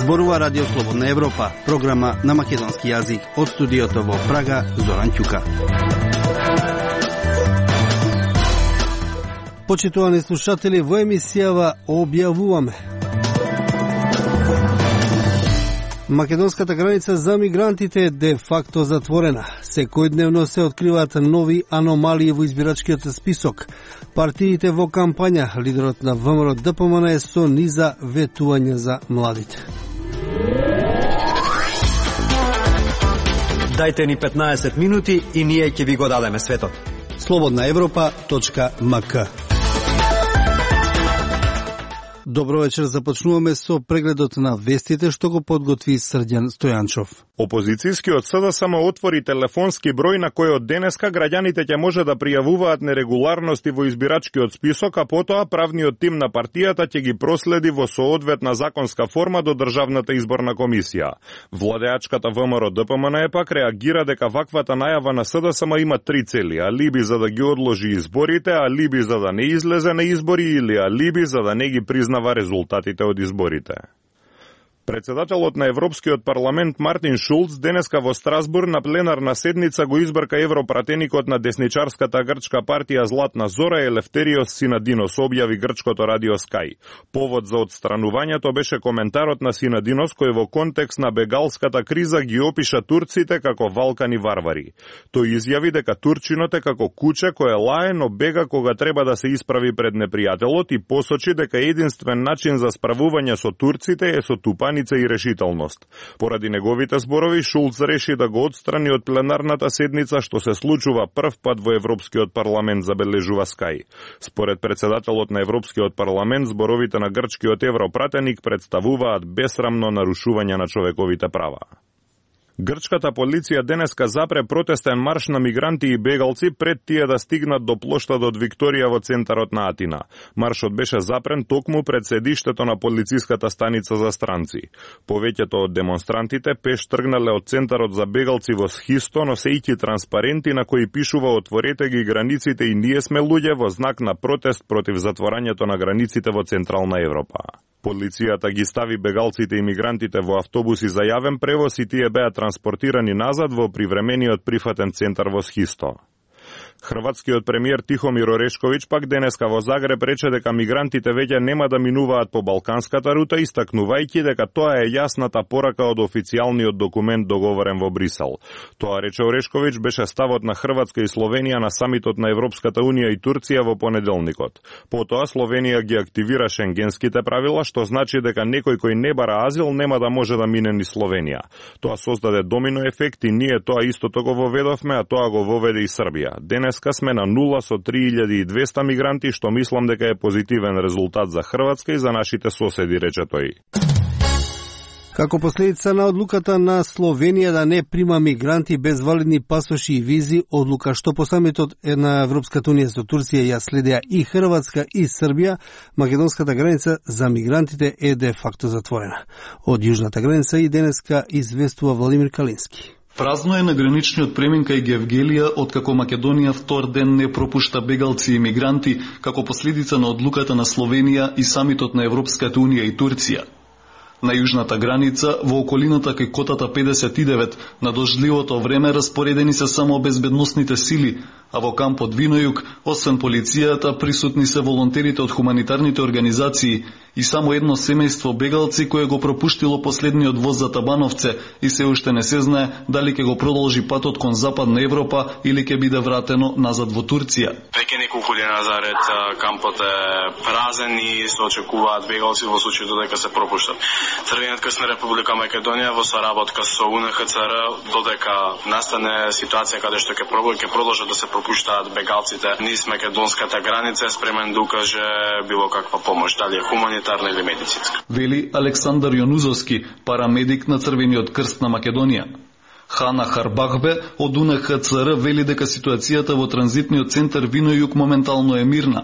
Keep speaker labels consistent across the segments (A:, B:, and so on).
A: Зборува Радио Слободна Европа, програма на македонски јазик од студиото во Прага, Зоран Ќука. Почитувани слушатели, во емисијава објавуваме: македонската граница за мигрантите е де факто затворена. Секојдневно се откриваат нови аномалии во избирачкиот список. Партиите во кампања, лидерот на ВМРО ДПМН е со низа ветување за младите.
B: Дајте ни 15 минути и ние ќе ви го дадеме светот.
A: slobodnaevropa.mk. Добро вечер, започнуваме со прегледот на вестите што го подготви Срđan Стојанчов.
C: Опозицијскиот СДСМ отвори телефонски број на кој од денеска граѓаните ќе може да пријавуваат нерегуларности во избирачкиот список, а потоа правниот тим на партијата ќе ги проследи во соодветна законска форма до Државната изборна комисија. Владеачката ВМРО ДПМН пак реагира дека ваквата најава на СДСМ има три цели: алиби за да ги одложи изборите, алиби за да не излезе на избори или алиби за да не ги признава резултатите од изборите. Председателот на Европскиот парламент Мартин Шулц денеска во Страсбур на пленарна седница го избрка европратеникот на десничарската грчка партија Златна Зора Елефтериос Синадинос, објави грчкото радио Sky. Повод за отстранувањето беше коментарот на Синадинос, кој во контекст на бегалската криза ги опиша турците како валкани варвари. Тој изјави дека турчинот е како куче кое лае, но бега кога треба да се исправи пред непријателот и посочи дека единствен начин за справување со турците е со тупаница и решителност. Поради неговите зборови, Шулц реши да го отстрани од пленарната седница, што се случува прв пат во Европскиот парламент, забележува Sky. Според председателот на Европскиот парламент, зборовите на грчкиот европратеник представуваат бесрамно нарушување на човековите права. Грчката полиција денеска запре протестен марш на мигранти и бегалци пред тие да стигнат до плоштадот Викторија во центарот на Атина. Маршот беше запрен токму пред седиштето на полициската станица за странци. Повеќето од демонстрантите пеш тргнале од центарот за бегалци во Схисто, носејќи транспаренти на кои пишува "Отворете ги границите и ние сме луѓе" во знак на протест против затворањето на границите во Централна Европа. Полицијата ги стави бегалците и мигрантите во автобуси за јавен превоз и тие беа транспортирани назад во привремениот прифатен центар во Схисто. Хрватскиот премиер Тихомир Орешковиќ пак денеска во Загреб рече дека мигрантите веќе нема да минуваат по балканската рута, истакнувајќи дека тоа е јасната порака од официјалниот документ договорен во Брисел. Тоа, рече Орешковиќ, беше ставот на Хрватска и Словенија на самитот на Европската унија и Турција во понеделникот. Потоа Словенија ги активира шенгенските правила, што значи дека некој кој не бара азил нема да може да мине ни Словенија. Тоа создаде домино ефект и ние тоа истото го воведовме, а тоа го воведе и Србија. Денеска сме на нула со 3200 мигранти, што мислам дека е позитивен резултат за Хрватска и за нашите соседи, рече тој.
A: Како последица на одлуката на Словенија да не прима мигранти без валидни пасоши и визи, одлука што по самитот на Европската унија со Турција ја следеа и Хрватска и Србија, македонската граница за мигрантите е де факто затворена. Од јужната граница и денеска известува Владимир Калински.
D: Празно е на граничниот премин кај Гевгелија, откако Македонија втор ден не пропушта бегалци и мигранти како последица на одлуката на Словенија и самитот на Европската унија и Турција. На јужната граница, во околината кај котата 59, на дождливото време распоредени се само безбедносните сили, а во кампот Винојук, освен полицијата, присутни се волонтерите од хуманитарните организации и само едно семејство бегалци кое го пропуштило последниот воз за Табановце и се уште не се знае дали ќе го продолжи патот кон Западна Европа или ќе биде вратено назад во Турција.
E: Веќе неколку дена заред кампот е празен и се очекуваат бегалци во случајот дека се пропуштат. Црвениот крст на Република Македонија во соработка со УНХЦР додека настане ситуација каде што ќе продолжат да се пропуштаат бегалците низ македонската граница, спремен да укаже било каква помош, дали е хуманитарна или медицинска.
D: Вели Александар Јонузовски, парамедик на Црвениот крст на Македонија. Хана Харбахбе од УНХЦР вели дека ситуацијата во транзитниот центар Винојук моментално е мирна.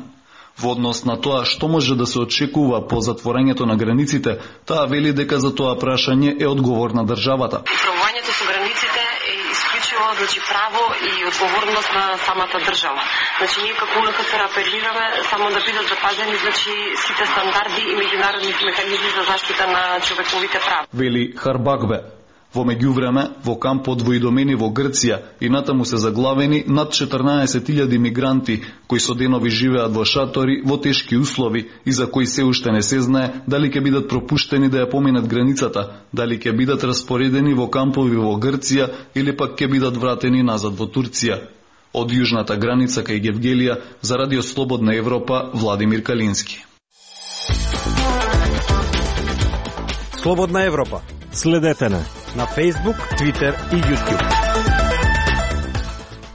D: Во однос на тоа што може да се очекува по затворањето на границите, таа вели дека за тоа прашање е одговорна државата.
F: Управувањето со границите е исклучиво право и одговорност на самата држава. Ние како УНХЦР апелираме само да бидат запазени сите стандарди и меѓународни механизми за заштита на човековите права.
D: Вели Харбагбе. Во меѓувреме, во кампот во Идомени во Грција и натаму се заглавени над 14.000 мигранти кои со денови живеат во шатори во тешки услови и за кои се уште не се знае дали ќе бидат пропуштени да ја поминат границата, дали ќе бидат распоредени во кампови во Грција или пак ќе бидат вратени назад во Турција. Од јужната граница кај Гевгелија за Радио Слободна Европа Владимир Калински.
B: Слободна Европа.
G: Следете на Facebook, Twitter и YouTube.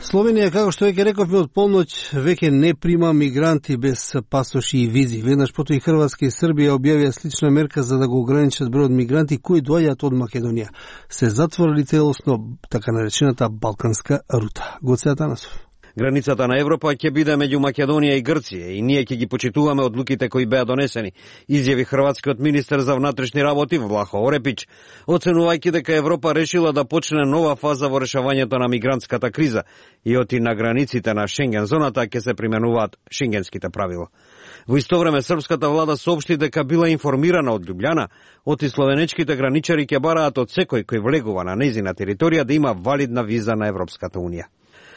A: Словенија, како што веќе рековме од полноќ, веќе не прима мигранти без пасоши и визи. Веднаш потоа и Хрватска и Србија објавија слична мерка за да го ограничат бројот мигранти кои доаѓаат од Македонија. Се затворили целосно така наречената балканска рута. Гоце Атанасов.
B: Границата на Европа ќе биде меѓу Македонија и Грција и ние ќе ги почитуваме одлуките кои беа донесени, изјави хрватскиот министер за внатрешни работи Влахо Орепич, оценувајќи дека Европа решила да почне нова фаза во решавањето на мигрантската криза и оти на границите на Шенген зоната ќе се применуваат шенгенските правила. Во исто време српската влада соопшти дека била информирана од Љубљана, оти словенечките граничари ќе бараат од секој кој влегува на нејзина територија да има валидна виза на Европската унија.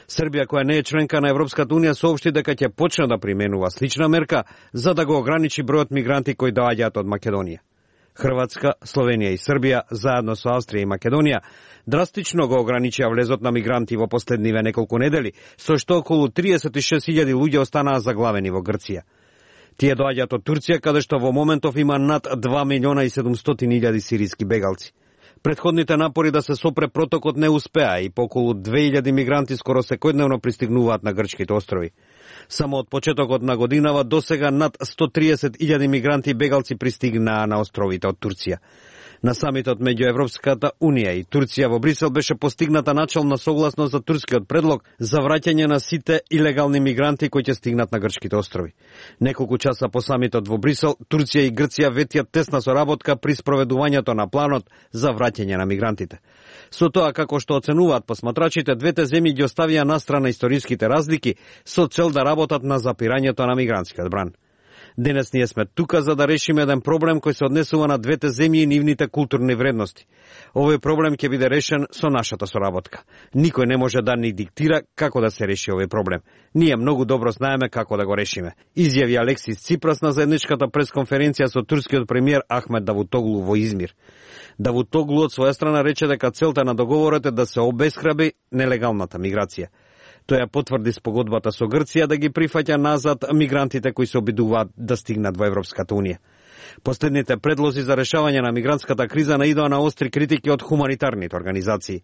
B: Србија, која не е членка на Европската унија, соопшти дека ќе почне да применува слична мерка за да го ограничи бројот мигранти кои доаѓаат од Македонија. Хрватска, Словенија и Србија, заедно со Австрија и Македонија, драстично го ограничија влезот на мигранти во последниве неколку недели, со што околу 36.000 луѓе останаа заглавени во Грција. Тие доаѓаат од Турција, каде што во моментов има над 2.700.000 сириски бегалци. Претходните напори да се сопре протокот не успеа и по околу 2000 мигранти скоро секојдневно пристигнуваат на грчките острови. Само од почетокот на годинава досега над 130.000 мигранти бегалци пристигнаа на островите од Турција. На самитот меѓу Европската унија и Турција во Брисел беше постигната начална согласност за турскиот предлог за враќање на сите илегални мигранти кои ќе стигнат на грчките острови. Неколку часа по самитот во Брисел, Турција и Грција ветиат тесна соработка при спроведувањето на планот за враќање на мигрантите. Со тоа, како што оценуваат посматрачите, двете земји ги оставија настрана историските разлики со цел да работат на запирањето на мигрантскиот бран. Денес ние сме тука за да решиме еден проблем кој се однесува на двете земји и нивните културни вредности. Овој проблем ќе биде решен со нашата соработка. Никој не може да ни диктира како да се реши овој проблем. Ние многу добро знаеме како да го решиме, изјави Алексис Ципрас на заедничката пресконференција со турскиот премиер Ахмед Давутоглу во Измир. Давутоглу од своја страна рече дека целта на договорот е да се обесхрабри нелегалната миграција. Тој ја потврди спогодбата со Грција да ги прифаќа назад мигрантите кои се обидуваат да стигнат во Европската унија. Последните предлози за решавање на мигрантската криза наидоа на остри критики од хуманитарните организации.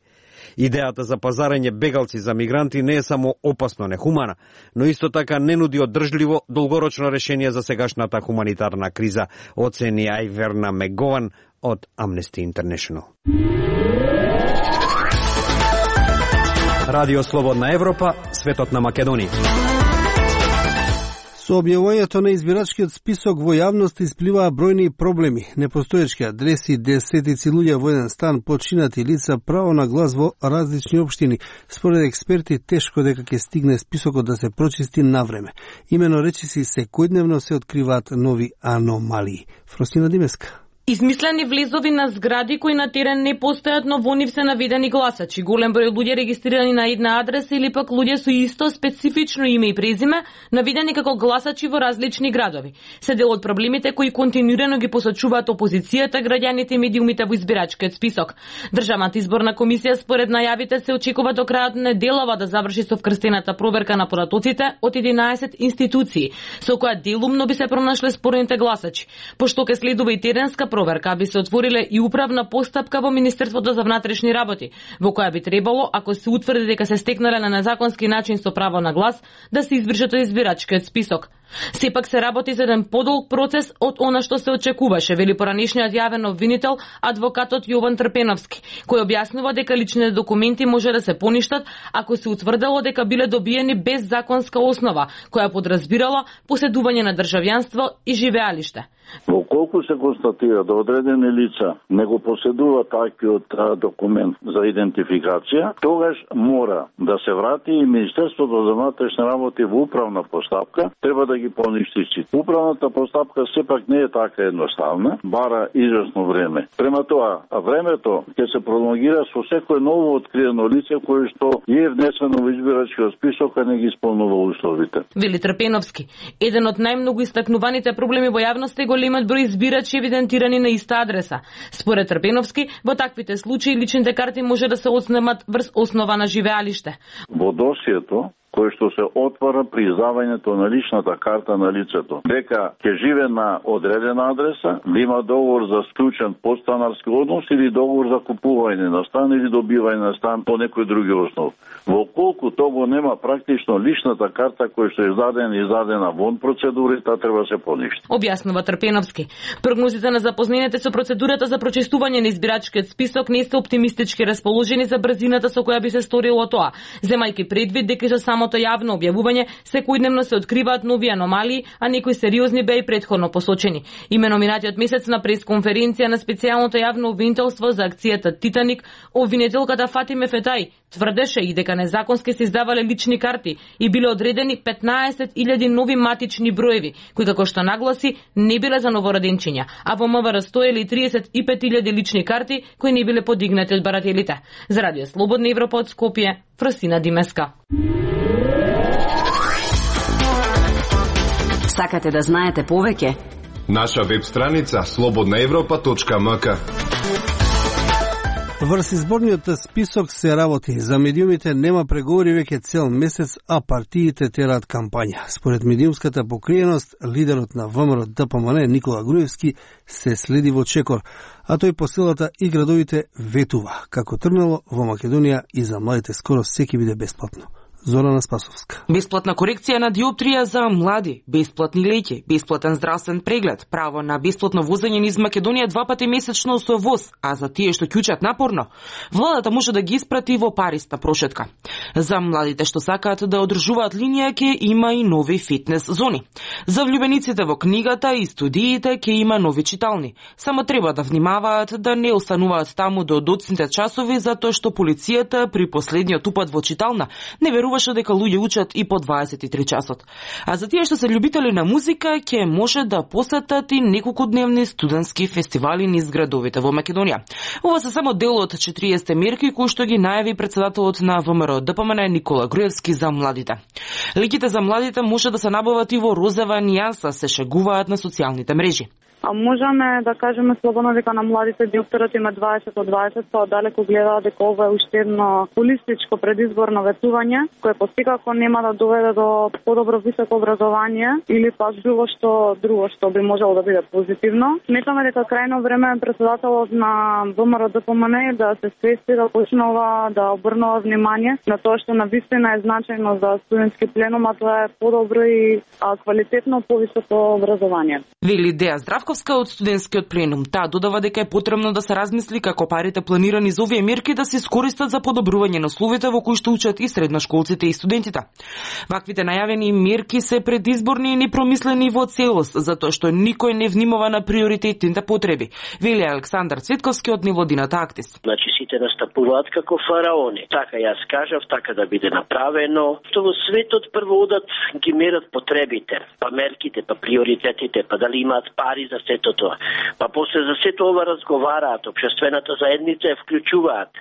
B: Идејата за пазарење бегалци за мигранти не е само опасно нехумана, но исто така не нуди одржливо долгорочно решение за сегашната хуманитарна криза, оцени Ајверна Мегован од Amnesty International. Радио Слободна Европа, светот на Македонија.
A: Со објавувањето на избирачкиот список во јавност испливаа бројни проблеми. Непостоечки адреси, десетици луѓе во еден стан, починати лица, право на глас во различни општини. Според експерти, тешко дека ќе стигне списокот да се прочисти навреме. Имено речиси секојдневно се откриваат нови аномалии. Фростина Димеска.
H: Измислени влезови на згради кои на терен не постојат, но во нив се наведени гласачи. Голем број луѓе регистрирани на една адреса или пак луѓе со исто специфично име и презиме, наведени како гласачи во различни градови. Се дел од проблемите кои континуирано ги посочуваат опозицијата, граѓаните и медиумите во избирачкиот список. Државната изборна комисија според најавите се очекува до крајот на неделава да заврши со вкрстената проверка на податоците од 11 институции, со која делумно би се пронашле спорните гласачи. Пошто ке следува и теренска проверка, би се отвориле и управна постапка во Министерството за внатрешни работи, во која би требало, ако се утврди дека се стекнале на незаконски начин со право на глас, да се избришат од избирачкиот список. Сепак се работи за еден подолг процес од она што се очекуваше, вели поранешниот јавен обвинител адвокатот Јован Трпеновски, кој објаснува дека личните документи може да се поништат ако се утврдело дека биле добиени без законска основа, која подразбирала поседување на државјанство и живеалиште.
I: Колку се констатира да одредени лица не го поседуваат таквиот документ за идентификација, тогаш мора да се врати и Министерството за внатрешни работи во управна постапка, треба да ги поништи сите. Управната постапка сепак не е така едноставна, бара известно време. Према тоа, времето ќе се пролонгира со секој ново откриено лице кое што е внесено во избирачкиот список, а не ги исполнува условите.
H: Вели Трпеновски, еден од најмногу истакнуваните проблеми во јавноста е големиот број избирачи евидентирани на иста адреса. Според Трпеновски, во таквите случаи личните карти може да се отснемат врз основа на живеалиште.
I: Во досието кој што се отвара при издавањето на личната карта на лицето, дека ќе живе на одредена адреса, да има договор за склучен подстанарски однос или договор за купување на стан или добивање на стан по некој други основ. Во колку того нема практично личната карта која што е издадена вон процедурите, треба се поништи.
H: Објаснува Трпеновски. Прогнозите на запознените со процедурата за прочистување на избирачкиот список не се оптимистички расположени за брзината со која би се сторило тоа, земајќи предвид дека со самото јавно објавување секојдневно се откриваат нови аномалии, а некои сериозни беа и претходно посочени. Имено минатиот месец на пресконференција на специјалното јавно обвинителство за акцијата Титаник, обвинителката Фатиме Фетај тврдеше и дека незаконски се издавале лични карти и биле одредени 15.000 нови матични броеви, кои како што нагласи не биле за новороденчиња, а во МВР стоеле 35.000 лични карти кои не биле подигнати од барателите. За Радио Слободна Европа од Скопје, Фросина Димеска.
J: Сакате да знаете повеќе?
K: Наша веб страница slobodnaevropa.mk.
A: Врз изборниот список се работи. За медиумите нема преговори веќе цел месец, а партиите тераат кампања. Според медиумската покриеност, лидерот на ВМРО ДПМН Никола Груевски се следи во чекор, а тој по силата и градовите ветува. Како тргнало во Македонија и за младите скоро секи биде бесплатно. Зорана Спасовска.
L: Бесплатна корекција на диоптрија за млади, бесплатни леки, бесплатен здравствен преглед, право на бесплатно возење низ Македонија 2 пати месечно со воз, а за тие што ќучат напорно, владата може да ги испрати во париста прошетка. За младите што сакаат да одржуваат линија ќе има и нови фитнес зони. За влюбениците во книгата и студиите ќе има нови читални. Само треба да внимаваат да не остануваат таму до доцните часови, затоа што полицијата при последниот упат во читална не веруваше дека луѓе учат и по 23 часот. А за тие што се љубители на музика, ќе може да посетат и неколкудневни студентски фестивали низ градовите во Македонија. Ова се само дел од 40 мерки кои што ги најави председателот на ВМРО ДПМН Никола Груевски за младите. Леките за младите може да се набават и во розова нијанса, се шегуваат на социјалните мрежи.
M: Можеме да кажеме слободно дека на младите диоптерот има 20 од 20, па оддалеку гледаат дека ова е уште едно холистичко предизборно ветување, кое постикако нема да доведе до подобро високо образование или пак било што друго што би можело да биде позитивно. Сметаме дека крајно време е председателот на ВМРО ДПМН да се свести, да почнува да обрнува внимание на тоа што навистина е значајно за студентски пленум, а тоа е подобро и квалитетно повисоко образование.
L: Вели Деја Здравковска од студентскиот пленум. Таа додава дека е потребно да се размисли како парите планирани за овие мерки да се искористат за подобрување на условите во кои што учат и средношколците и студентите. Ваквите најавени мерки се предизборни и непромислени во целост, затоа што никој не внимава на приоритетните потреби. Вели Александар Цветковски од Невладината Актис.
N: Значи сите настапуваат како фараони. Така јас кажав, така да биде направено. Што во светот прво одат ги мерат потребите, па мерките, па приоритетите, па дали имаат пари за сето тоа. Па после за сето ова разговараат, општествената заедница ја вклучуваат.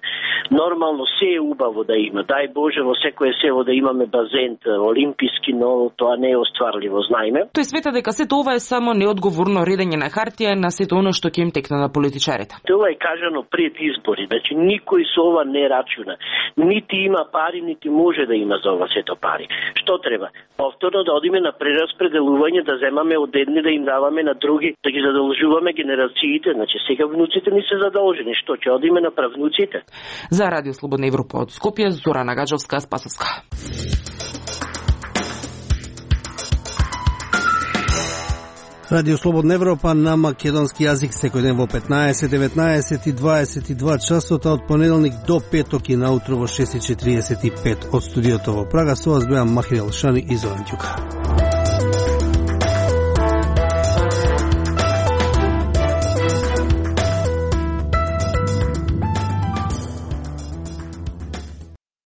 N: Нормално се е убаво да има. Дај Боже во секое село да имаме базен олимписки, но тоа не е остварливо, знаеме.
L: Тој света дека сето ова е само неодговорно редење на хартија на сето оно што ќе им текне на политичарите.
N: Тоа е кажано пред избори, значи никој со ова не рачуна. Нити има пари, нити може да има за ова сето пари. Што треба? Повторно да одиме на прераспределување, да земаме од едни да им даваме на други, да ги задолжуваме генерациите, значи сега внуците ни се задолжени, што ќе одиме на правнуците.
L: За Радио Слободна Европа од Скопје, Зорана Гаджовска, Спасовска.
A: Радио Слободна Европа на македонски јазик секој ден во 15, 19 и 22 часот, од понеделник до петок и наутро во 6:45 од студиото во Прага. Со вас беа Махир Елшани и Зоран Ѓука.